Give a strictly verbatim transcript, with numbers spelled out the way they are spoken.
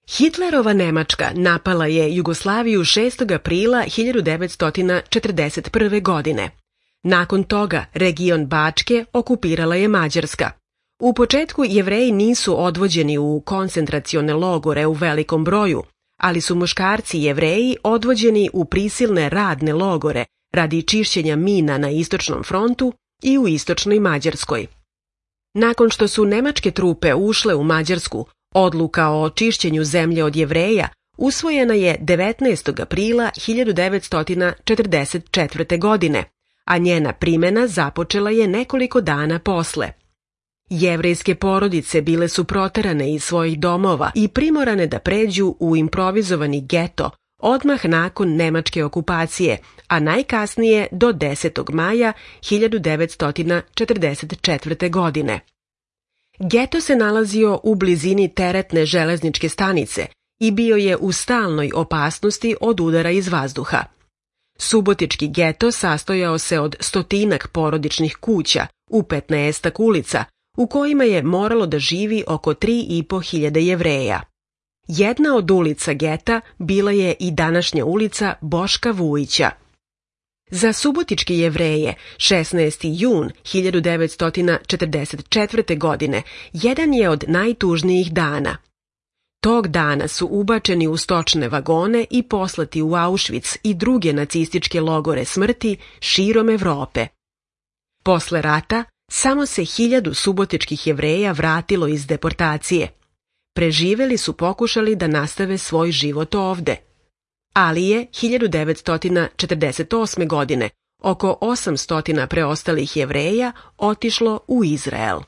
Hitlerova Nemačka napala je Jugoslaviju šestog aprila hiljadu devetsto četrdeset prve. godine. Nakon toga region Bačke okupirala je Mađarska. U početku Jevreji nisu odvođeni u koncentracione logore u velikom broju, ali su muškarci Jevreji odvođeni u prisilne radne logore radi čišćenja mina na istočnom frontu i u istočnoj Mađarskoj. Nakon što su nemačke trupe ušle u Mađarsku, odluka o čišćenju zemlje od Jevreja usvojena je devetnaestog aprila hiljadu devetsto četrdeset četvrte. godine, a njena primena započela je nekoliko dana posle. Jevrejske porodice bile su proterane iz svojih domova i primorane da pređu u improvizovani geto odmah nakon nemačke okupacije, a najkasnije do desetog maja hiljadu devetsto četrdeset četvrte. godine. Geto se nalazio u blizini teretne železničke stanice i bio je u stalnoj opasnosti od udara iz vazduha. Subotički geto sastojao se od stotinak porodičnih kuća u petnaestak ulica, u kojima je moralo da živi oko tri i po hiljade Jevreja. Jedna od ulica geta bila je i današnja ulica Boška Vujića. Za subotičke Jevreje šesnaesti jun hiljadu devetsto četrdeset četvrte. godine jedan je od najtužnijih dana. Tog dana su ubačeni u stočne vagone i poslati u Auschwitz i druge nacističke logore smrti širom Evrope. Posle rata samo se hiljadu subotičkih Jevreja vratilo iz deportacije. Preživeli su pokušali da nastave svoj život ovde. Ali je hiljadu devetsto četrdeset osme. godine oko osamsto preostalih Jevreja otišlo u Izrael.